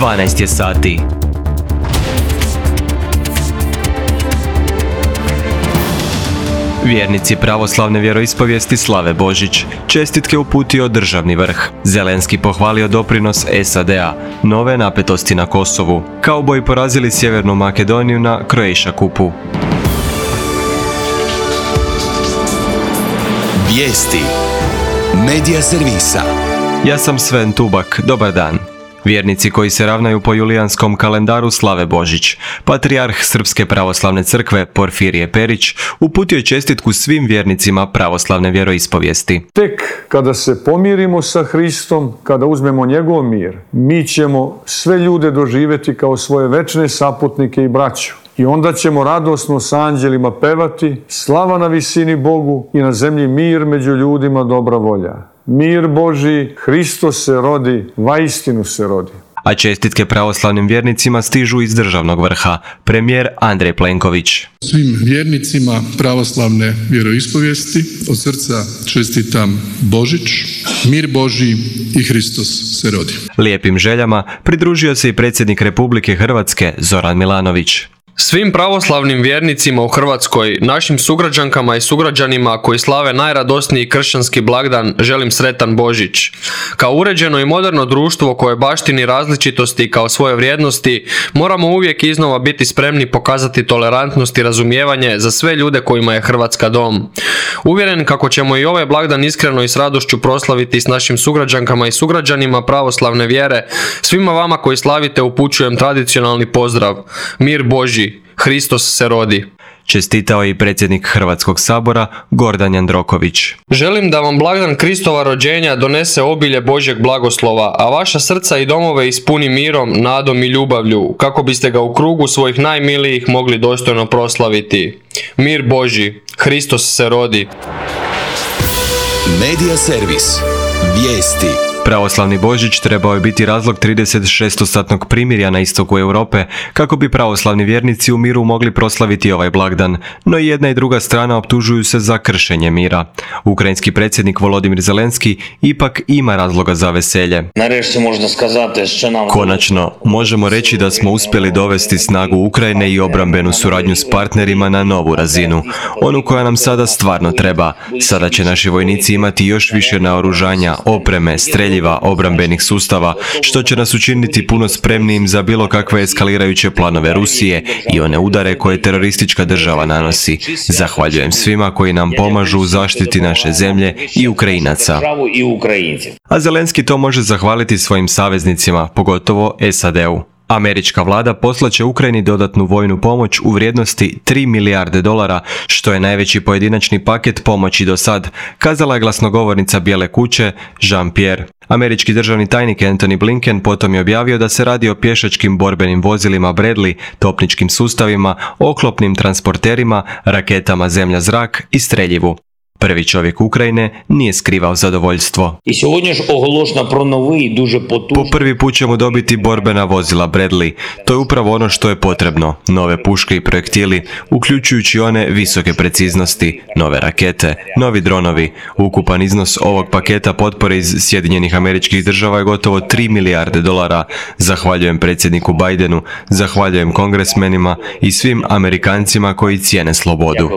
12 je sati. Vjernici pravoslavne vjeroispovijesti slave Božić. Čestitke uputio državni vrh. Zelenski pohvalio doprinos SAD-a. Nove napetosti na Kosovu. Kauboji porazili Sjevernu Makedoniju na Croatia Cupu. Vijesti. Medija servisa. Ja sam Sven Tubak. Dobar dan. Vjernici koji se ravnaju po julijanskom kalendaru slave Božić. Patrijarh Srpske pravoslavne crkve Porfirije Perić uputio je čestitku svim vjernicima pravoslavne vjeroispovijesti. Tek kada se pomirimo sa Hristom, kada uzmemo njegov mir, mi ćemo sve ljude doživjeti kao svoje večne saputnike i braću. I onda ćemo radosno s anđelima pevati, slava na visini Bogu i na zemlji mir među ljudima dobra volja. Mir Božji, Hristos se rodi, vaistinu se rodi. A čestitke pravoslavnim vjernicima stižu iz državnog vrha. Premijer Andrej Plenković. Svim vjernicima pravoslavne vjeroispovijesti od srca čestitam Božić, mir Božji i Hristos se rodi. Lijepim željama pridružio se i predsjednik Republike Hrvatske Zoran Milanović. Svim pravoslavnim vjernicima u Hrvatskoj, našim sugrađankama i sugrađanima koji slave najradosniji kršćanski blagdan, želim sretan Božić. Kao uređeno i moderno društvo koje baštini različitosti kao svoje vrijednosti, moramo uvijek iznova biti spremni pokazati tolerantnost i razumijevanje za sve ljude kojima je Hrvatska dom. Uvjeren kako ćemo i ovaj blagdan iskreno i s radošću proslaviti s našim sugrađankama i sugrađanima pravoslavne vjere, svima vama koji slavite upućujem tradicionalni pozdrav. Mir Božji. Hristos se rodi. Čestitao je i predsjednik Hrvatskog sabora Gordan Jandroković. Želim da vam blagdan Kristova rođenja donese obilje Božjeg blagoslova, a vaša srca i domove ispuni mirom, nadom i ljubavlju, kako biste ga u krugu svojih najmilijih mogli dostojno proslaviti. Mir Božji. Hristos se rodi. Medija servis. Vijesti. Pravoslavni Božić trebao je biti razlog 36-satnog primirja na istoku Europe, kako bi pravoslavni vjernici u miru mogli proslaviti ovaj blagdan, no i jedna i druga strana optužuju se za kršenje mira. Ukrajinski predsjednik Volodimir Zelenski ipak ima razloga za veselje. Konačno, možemo reći da smo uspjeli dovesti snagu Ukrajine i obrambenu suradnju s partnerima na novu razinu, onu koja nam sada stvarno treba. Sada će naši vojnici imati još više naoružanja, opreme, streljiva, obrambenih sustava, što će nas učiniti puno spremnijim za bilo kakve eskalirajuće planove Rusije i one udare koje teroristička država nanosi. Zahvaljujem svima koji nam pomažu u zaštiti naše zemlje i Ukrajinaca. A Zelenski to može zahvaliti svojim saveznicima, pogotovo SAD-u. Američka vlada poslaće Ukrajini dodatnu vojnu pomoć u vrijednosti $3 milijarde, što je najveći pojedinačni paket pomoći do sad, kazala je glasnogovornica Bijele kuće Jean-Pierre. Američki državni tajnik Antony Blinken potom je objavio da se radi o pješačkim borbenim vozilima Bradley, topničkim sustavima, oklopnim transporterima, raketama zemlja-zrak i streljivu. Prvi čovjek Ukrajine nije skrivao zadovoljstvo. Po prvi put ćemo dobiti borbena vozila Bradley. To je upravo ono što je potrebno. Nove puške i projektili, uključujući one visoke preciznosti, nove rakete, novi dronovi. Ukupan iznos ovog paketa potpore iz Sjedinjenih Američkih Država je gotovo $3 milijarde. Zahvaljujem predsjedniku Bidenu, zahvaljujem kongresmenima i svim Amerikancima koji cijene slobodu.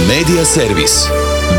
Medija servis.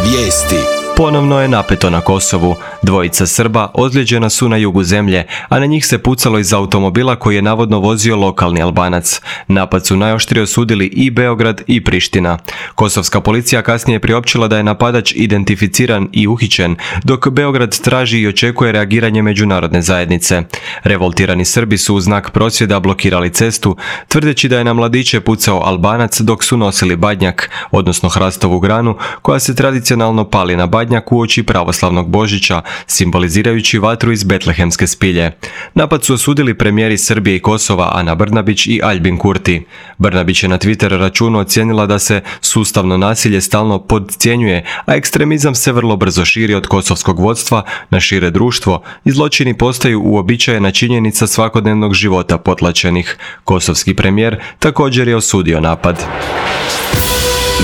Vijesti. Ponovno je napeto na Kosovu. Dvojica Srba ozlijeđena su na jugu zemlje, a na njih se pucalo iz automobila koji je navodno vozio lokalni Albanac. Napad su najoštrije osudili i Beograd i Priština. Kosovska policija kasnije je priopćila da je napadač identificiran i uhićen, dok Beograd traži i očekuje reagiranje međunarodne zajednice. Revoltirani Srbi su u znak prosvjeda blokirali cestu, tvrdeći da je na mladiće pucao Albanac dok su nosili badnjak, odnosno hrastovu granu, koja se tradicionalno pali na badnjak uoči pravoslavnog Božića, simbolizirajući vatru iz betlehemske spilje. Napad su osudili premijeri Srbije i Kosova Ana Brnabić i Aljbin Kurti. Brnabić je na Twitter računu ocijenila da se sustavno nasilje stalno podcjenjuje, a ekstremizam se vrlo brzo širi od kosovskog vodstva na šire društvo i zločini postaju uobičajena činjenica svakodnevnog života potlačenih. Kosovski premijer također je osudio napad.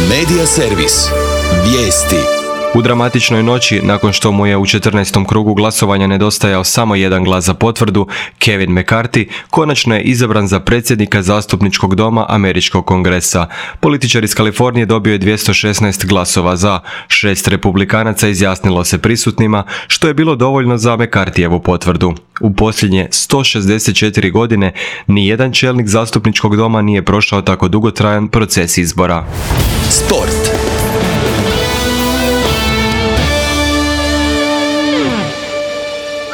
Medija servis. Vijesti. U dramatičnoj noći, nakon što mu je u 14. krugu glasovanja nedostajao samo jedan glas za potvrdu, Kevin McCarthy konačno je izabran za predsjednika zastupničkog doma Američkog kongresa. Političar iz Kalifornije dobio je 216 glasova za, 6 republikanaca izjasnilo se prisutnima, što je bilo dovoljno za McCarthyjevu potvrdu. U posljednje 164 godine nijedan čelnik zastupničkog doma nije prošao tako dugotrajan proces izbora. Sport.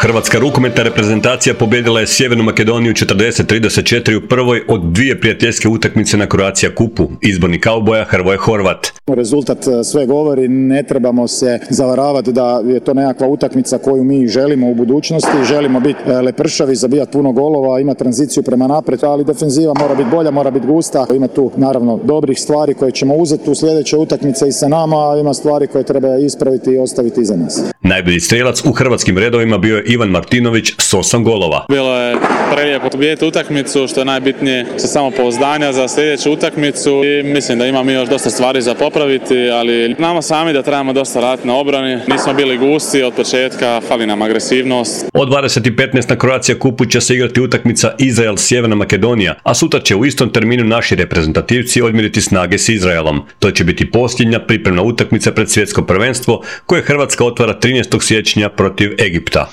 Hrvatska rukometna reprezentacija pobijedila je Sjevernu Makedoniju 40-34 u prvoj od dvije prijateljske utakmice na Croatia Cupu. Izborni kauboja Hrvoje Horvat. Rezultat sve govori, ne trebamo se zavaravati da je to nekakva utakmica koju mi želimo u budućnosti. Želimo biti lepršavi, zabijati puno golova, ima tranziciju prema naprijed, ali defenziva mora biti bolja, mora biti gusta. Ima tu naravno dobrih stvari koje ćemo uzeti u sljedeće utakmice i sa nama, a ima stvari koje treba ispraviti i ostaviti iza nas. Najbolji strelac u hrvatskim redovima bio je Ivan Martinović s 8 golova. Bilo je prelijepo pobijediti utakmicu, što je najbitnije sa samopouzdanja za sljedeću utakmicu i mislim da imamo još dosta stvari za popraviti, ali znamo sami da trebamo dosta raditi na obrani. Nismo bili gusti od početka, fali nam agresivnost. Od 20:15 na Croatia Cupu će se igrati utakmica Izrael-Sjeverna Makedonija, a sutra će u istom terminu naši reprezentativci odmjeriti snage s Izraelom. To će biti posljednja pripremna utakmica pred svjetsko prvenstvo koje Hrvatska otvara 13. siječnja protiv Egipta.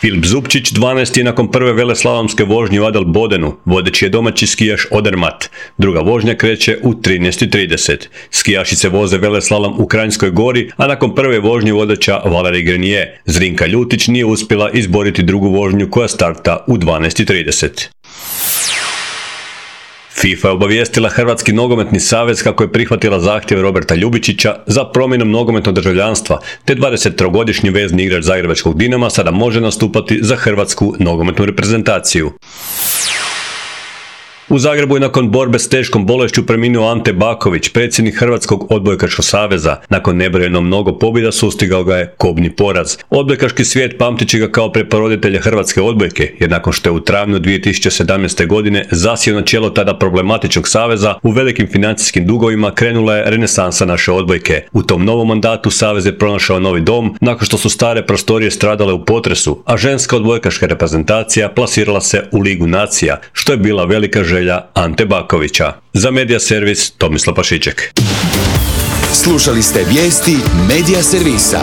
Filip Zupčić 12 je nakon prve veleslalomske vožnje u Adel Bodenu, vodeći je domaći skijaš Odermatt. Druga vožnja kreće u 13:30. Skijašice voze veleslalom u Kranjskoj Gori, a nakon prve vožnje vodeća Valerij Grenier. Zrinka Ljutić nije uspjela izboriti drugu vožnju koja starta u 12:30. FIFA je obavijestila Hrvatski nogometni savez kako je prihvatila zahtjev Roberta Ljubičića za promjenom nogometnog državljanstva, te 23-godišnji vezni igrač zagrebačkog Dinama sada može nastupati za Hrvatsku nogometnu reprezentaciju. U Zagrebu je nakon borbe s teškom bolešću preminuo Ante Baković, predsjednik Hrvatskog odbojkaškog saveza. Nakon nebrojeno mnogo pobjeda sustigao ga je kobni poraz. Odbojkaški svijet pamtit će ga kao preporoditelja hrvatske odbojke, jer nakon što je u travnju 2017. godine zasjeo na čelo tada problematičnog saveza, u velikim financijskim dugovima krenula je renesansa naše odbojke. U tom novom mandatu savez je pronašao novi dom nakon što su stare prostorije stradale u potresu, a ženska odbojkaška reprezentacija plasirala se u Ligu nacija, što je bila velika želja Ante Bakovića. Za Media Servis Tomislav Pašiček. Slušali ste vijesti Media Servisa.